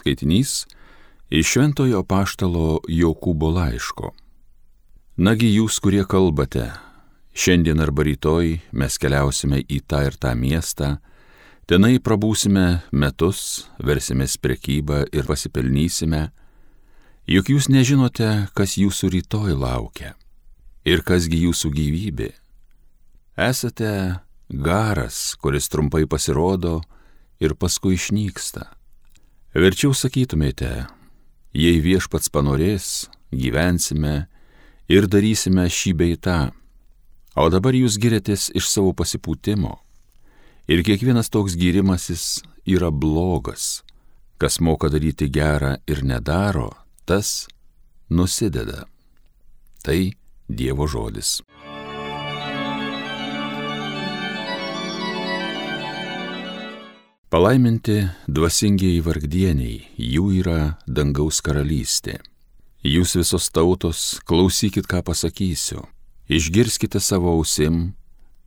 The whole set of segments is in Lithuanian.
skaitinys iš Šventojo apaštalo Jokūbo laiško. Nagi jūs, kurie kalbate, šiandien arba rytoj mes keliausime į tą ir tą miestą, tenai prabūsime metus, versimės prekybą ir pasipelnysime, juk jūs nežinote, kas jūsų rytoj laukia ir kasgi jūsų gyvybė. Esate garas, kuris trumpai pasirodo ir paskui išnyksta. Verčiau sakytumėte, jei viešpats panorės, gyvensime ir darysime šį bei tą, o dabar jūs giriatės iš savo pasipūtimo. Ir kiekvienas toks gyrimasis yra blogas. Kas moka daryti gerą ir nedaro, tas nusideda. Tai Dievo žodis. Palaiminti dvasingieji vargdieniai, jų yra dangaus karalystė. Jūs visos tautos, klausykit, ką pasakysiu. Išgirskite savo ausim,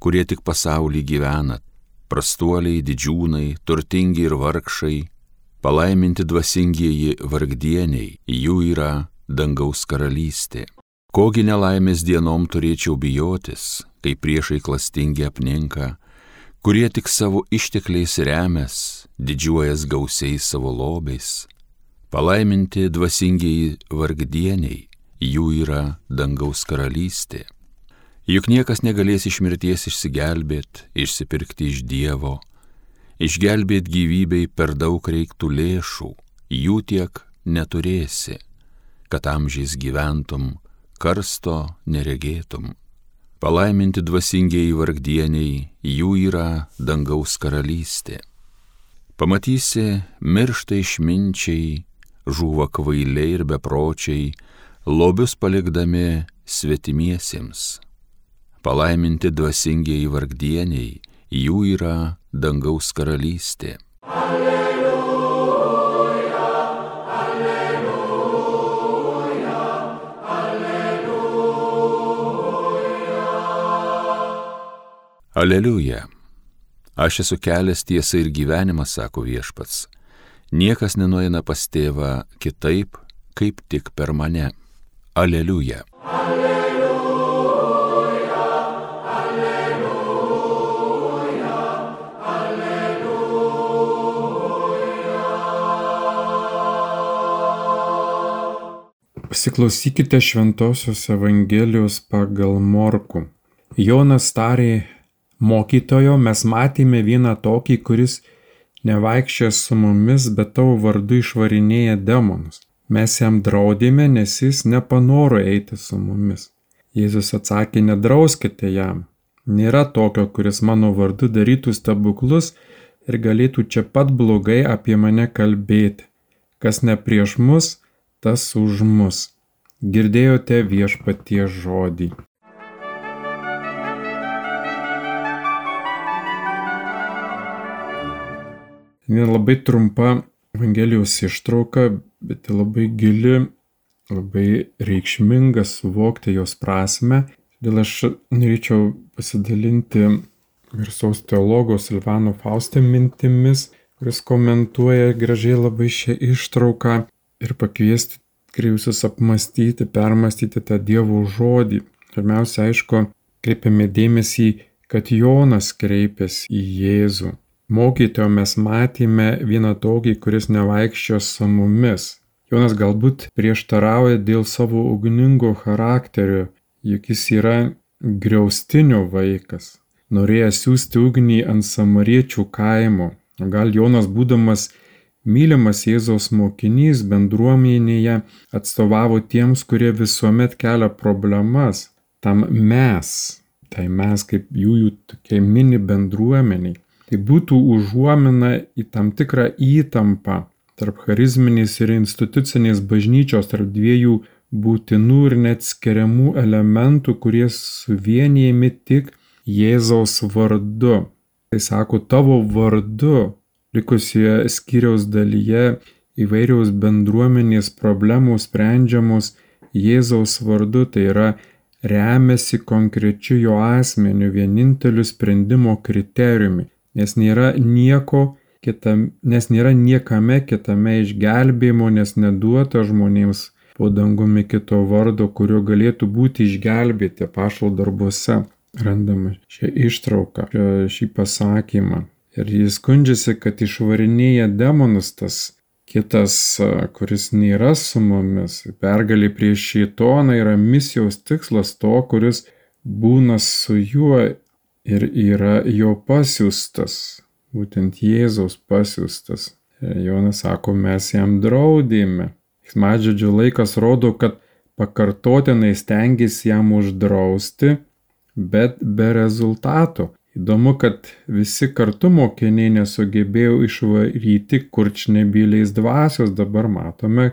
kurie tik pasaulį gyvenat, prastuoliai, didžiūnai, turtingi ir vargšai. Palaiminti dvasingieji vargdieniai, jų yra dangaus karalystė. Kogi nelaimės dienom turėčiau bijotis, kai priešai klastingi apninka, kurie tik savo ištekliais remias, didžiuojas gausiais savo lobiais. Palaiminti dvasingieji vargdieniai, jų yra dangaus karalystė. Juk niekas negalės iš mirties išsigelbėt, išsipirkti iš Dievo, išgelbėt gyvybei per daug reiktų lėšų, jų tiek neturėsi, kad amžiais gyventum, karsto neregėtum. Palaiminti dvasingieji vargdieniai, jų yra dangaus karalystė. Pamatysi, miršta išminčiai, žūva kvailiai ir bepročiai, lobius palikdami svetimiesiems. Palaiminti dvasingieji vargdieniai, jų yra dangaus karalystė. Aleliuja. Aš esu kelias, tiesa ir gyvenimas, sako viešpats. Niekas nenueina pas tėvą kitaip, kaip tik per mane. Aleliuja. Aleliuja, aleliuja, aleliuja. Pasiklausykite Šventosios Evangelijos pagal Morkų. Jonas tarė: Mokytojo, mes matėme vieną tokį, kuris nevaikščia su mumis, bet tavo vardu išvarinėja demonus. Mes jam draudėme, nes jis nepanoro eiti su mumis. Jėzus atsakė: nedrauskite jam. Nėra tokio, kuris mano vardu darytų stebuklus ir galėtų čia pat blogai apie mane kalbėti. Kas ne prieš mus, tas už mus. Girdėjote viešpaties žodį. Labai trumpa Evangelijos ištrauka, bet labai gili, labai reikšminga suvokti jos prasme. Todėl aš norėčiau pasidalinti garsaus teologo Silvano Fauste mintimis, kuris komentuoja gražiai labai šią ištrauką ir pakviesti kriausius apmastyti, permastyti tą Dievo žodį. Pirmiausia, aišku, kreipiame dėmesį, kad Jonas kreipėsi į Jėzų. Mokytojo, mes matėme vieną tokį, kuris nevaikščio su mumis. Jonas galbūt prieštarauja dėl savo ugningo charakterio, juk jis yra griaustinio vaikas. Norėjęs siųsti ugnį ant samariečių kaimo. Gal Jonas, būdamas mylimas Jėzaus mokinys, bendruomenėje atstovavo tiems, kurie visuomet kelia problemas. Tam mes kaip jų tokie mini bendruomeniai. Tai būtų užuomina į tam tikrą įtampą tarp charizminės ir institucinės bažnyčios, tarp dviejų būtinų ir neatskiriamų elementų, kurie suvienijami tik Jėzaus vardu. Tai sako, tavo vardu, likusioje skyriaus dalyje įvairiaus bendruomenės problemos sprendžiamos Jėzaus vardu, tai yra remiasi konkrečiu jo asmeniu, vieninteliu sprendimo kriterijumi. Nes nėra nieko nes nėra niekame kitame išgelbėjimo, nes neduota žmonėms po dangumi kito vardo, kurio galėtų būti išgelbėti. Apaštalų darbuose randame šią ištrauką, šį pasakymą. Ir jis skundžiasi, kad išvarinėja demonus tas kitas, kuris nėra su mumis. Pergalė prieš šėtoną yra misijos tikslas to, kuris būna su juo ir yra jo pasiųstas. Būtent Jėzaus pasiųstas. Jonas sako, mes jam draudėme. Veiksmažodžio laikas rodo, kad pakartotinai stengėsi jam uždrausti, bet be rezultato. Įdomu, kad visi kartu mokiniai nesugebėjo išvaryti kurčnebyliais dvasios. Dabar matome,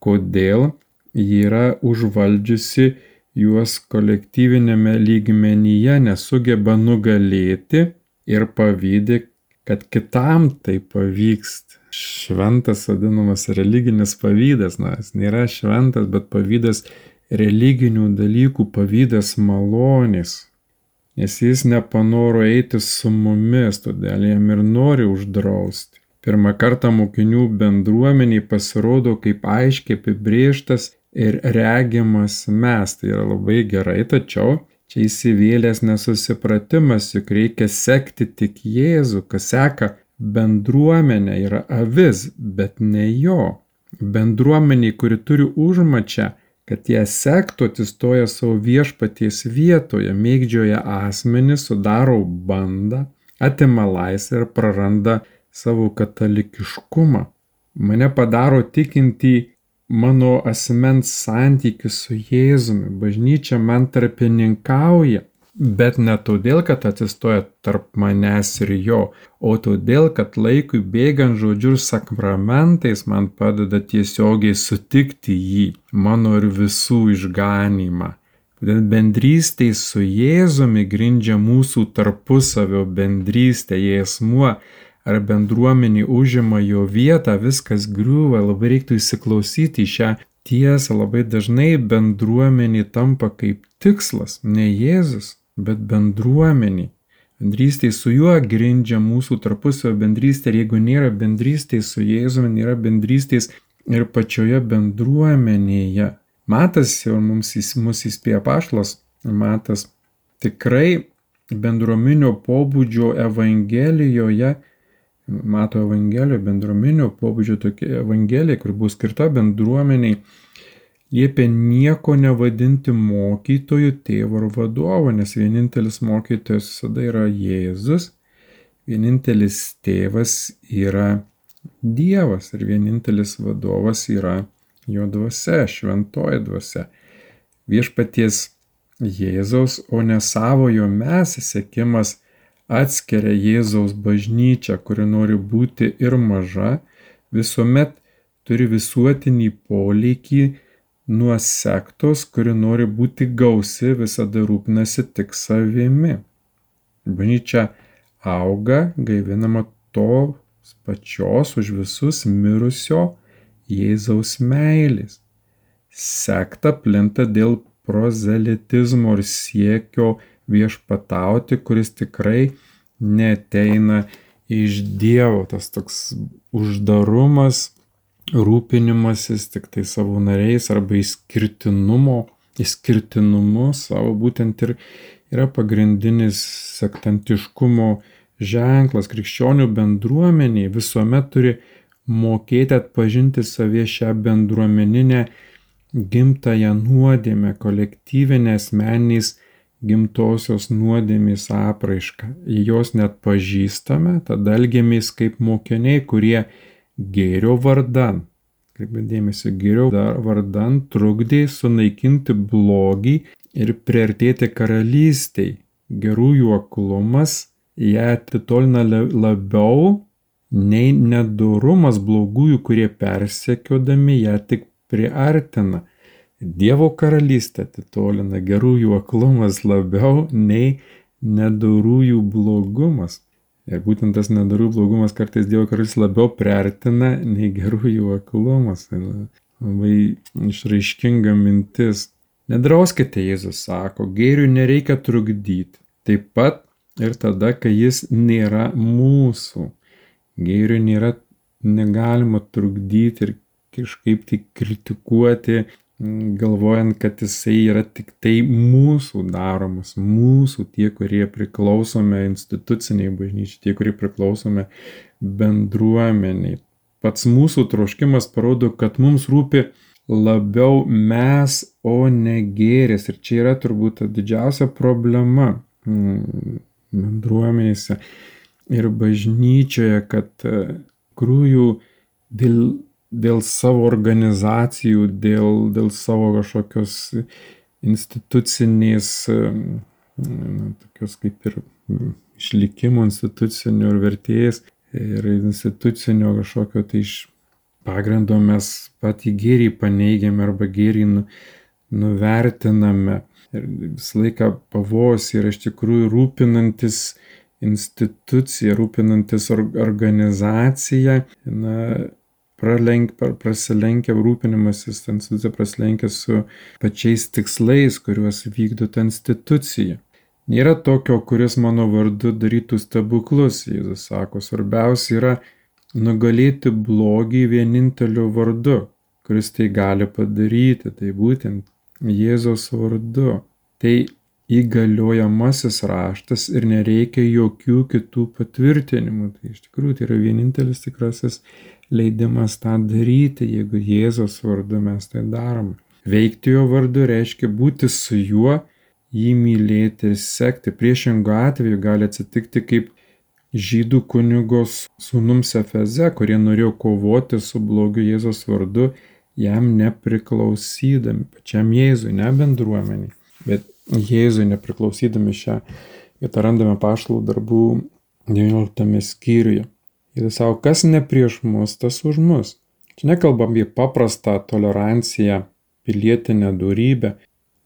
kodėl ji yra užvaldžiusi juos kolektyvinėme lygmenyje, nesugeba nugalėti ir pavydi, kad kitam tai pavyks. Šventas vadinamas religinis pavydas, jis nėra šventas, bet pavydas religinių dalykų, pavydas malonės. Nes jis nepanoro eiti su mumis, todėl jam ir nori uždrausti. Pirmą kartą mokinių bendruomeniai pasirodo kaip aiškiai apibrėžtas ir regimas mes. Tai yra labai gerai, tačiau čia įsivėlęs nesusipratimas, juk reikia sekti tik Jėzų, kas seka bendruomenę, yra avis, bet ne jo. Bendruomeniai, kuri turi užmačią, kad ją sektų, atsistoja savo viešpaties vietoje, mėgdžioja asmenį, sudaro bandą, atima laisvę ir praranda savo katalikiškumą. Mane padaro tikintį mano asmens santykis su Jėzumi. Bažnyčia man tarpininkauja, bet ne todėl, kad atsistoja tarp manęs ir jo, o todėl, kad laikui bėgant žodžiu ir sakramentais man padeda tiesiogiai sutikti jį, mano ir visų išganymą. Bendrystė su Jėzumi grindžia mūsų tarpusavio bendrystę, jei asmuo ar bendruomenė užima jo vietą, viskas griūva. Labai reiktų įsiklausyti į šią tiesą. Labai dažnai bendruomenė tampa kaip tikslas, ne Jėzus, bet bendruomenė. Bendrystė su juo grindžia mūsų tarpusavio bendrystę, ir jeigu nėra bendrystės su Jėzumi, nėra bendrystės ir pačioje bendruomenėje. Matas jau mus įspėja apaštalas Matas, tikrai bendruominio pobūdžio Evangelijoje, Mato Evangelijoje bendruominio pobūdžio tokia Evangelija, kur buvo skirta bendruomeniai, liepia nieko nevadinti mokytoju, tėvu ar vadovu, nes vienintelis mokytojas visada yra Jėzus, vienintelis tėvas yra Dievas ir vienintelis vadovas yra jo dvasia, šventoji dvasia. Viešpaties Jėzaus, o ne savojo mes sekimas atskiria Jėzaus bažnyčią, kuri nori būti ir maža, visuomet turi visuotinį poleikį nuo sektos, kuri nori būti gausi, visada rūpinasi tik savimi. Bažnyčia auga, gaivinama tos pačios už visus mirusio Jėzaus meilės. Sekta plinta dėl prozelitizmo ir siekio viešpatauti, kuris tikrai neateina iš Dievo. Tas toks uždarumas, rūpinimasis tik tai savo nariais arba išskirtinumu savo būtent ir yra pagrindinis sektantiškumo ženklas. Krikščionių bendruomeniai visuomet turi mokėti atpažinti savyje šią bendruomeninę gimtąją nuodėmę, kolektyvinę asmeniniais gimtosios nuodėmės apraišką. Jei jos net pažįstame, tada elgiamės kaip mokiniai, kurie gėrio vardan, kaip dėmesio, gėrio vardan trukdė sunaikinti blogį ir priartėti karalystiai. Gerųjų aklumas ją atitolina labiau nei nedorumas blogųjų, kurie persekiodami ją tik priartina. Dievo karalystė atitolina gerųjų aklumas labiau nei nedorųjų blogumas. Ir būtent tas nedorų blogumas kartais Dievo karalystė labiau priartina nei gerųjų aklumas. Tai labai išraiškinga mintis. Nedrauskite, Jėzus sako, gėriui nereikia trukdyti. Taip pat ir tada, kai jis nėra mūsų. Gėriui negalima trukdyti ir kažkaip tai kritikuoti, galvojant, kad jisai yra tik tai mūsų daromas, mūsų tie, kurie priklausome instituciniai bažnyčiai, tie, kurie priklausome bendruomeniai. Pats mūsų troškimas parodo, kad mums rūpi labiau mes, o ne gėris. Ir čia yra turbūt ta didžiausia problema bendruomenėse ir bažnyčioje, kad krūjų dėl savo organizacijų, dėl savo kažkokios institucinės, tokios kaip ir išlikimo institucinio ir vertės ir institucinio kažkokio tai iš pagrindo mes patį gėrį paneigiame arba gėrį nuvertiname. Ir visą laiką pavojus yra iš tikrųjų rūpinantis institucija, rūpinantis organizacija, prasilenkia rūpinimasis ta institucija, prasilenkia su pačiais tikslais, kuriuos vykdo ta institucija. Nėra tokio, kuris mano vardu darytų stebuklus, Jėzus sako, svarbiausia yra nugalėti blogį vieninteliu vardu, kuris tai gali padaryti, tai būtent Jėzaus vardu. Tai įgaliojamasis raštas ir nereikia jokių kitų patvirtinimų. Tai iš tikrųjų tai yra vienintelis tikrasis leidimas tą daryti, jeigu Jėzaus vardu mes tai darome. Veikti jo vardu reiškia būti su juo, jį mylėti ir sekti. Priešingu atveju gali atsitikti kaip žydų kunigos sūnums Efeze, kurie norėjo kovoti su blogiu Jėzaus vardu, jam nepriklausydami, pačiam Jėzui, ne bendruomeniai, bet Jėzui nepriklausydami. Šią vietą randame Apaštalų darbų 19 skyriuje. Jėzus sako, kas ne prieš mus, tas už mus. Čia nekalbam apie paprastą toleranciją, pilietinę dorybę,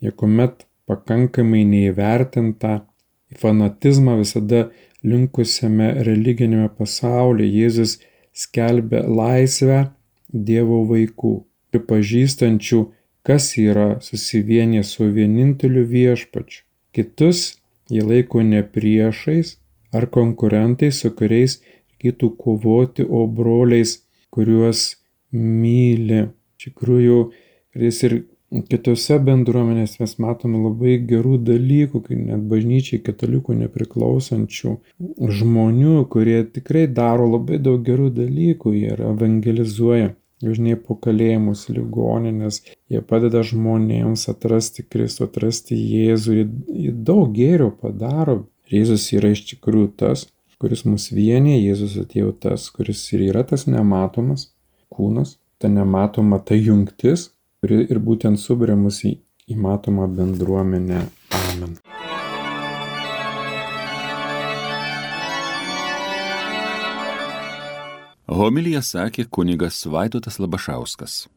niekuomet pakankamai neįvertintą fanatizmą visada linkusiame religinėme pasaulyje. Jėzus skelbia laisvę Dievo vaikų, pripažįstančių, kas yra susivienę su vieninteliu viešpačiu. Kitus jie laiko ne priešais ar konkurentais, su kuriais reikėtų kovoti, o broliais, kuriuos myli. Iš tikrųjų, ir kitose bendruomenės mes matome labai gerų dalykų, kai net bažnyčiai katalikų nepriklausančių žmonių, kurie tikrai daro labai daug gerų dalykų, jie evangelizuoja, važinėja po kalėjimus, ligoninės, jie padeda žmonėms atrasti Kristų, atrasti Jėzų, jie daug gėrio padaro. Jėzus yra iš tikrųjų tas, kuris mus vienyje, Jėzus atėjo tas, kuris ir yra tas nematomas kūnas, ta nematoma ta jungtis, kuri ir būtent suburia mus į matomą bendruomenę. Amen. Homiliją sakė kunigas Vaidotas Labašauskas.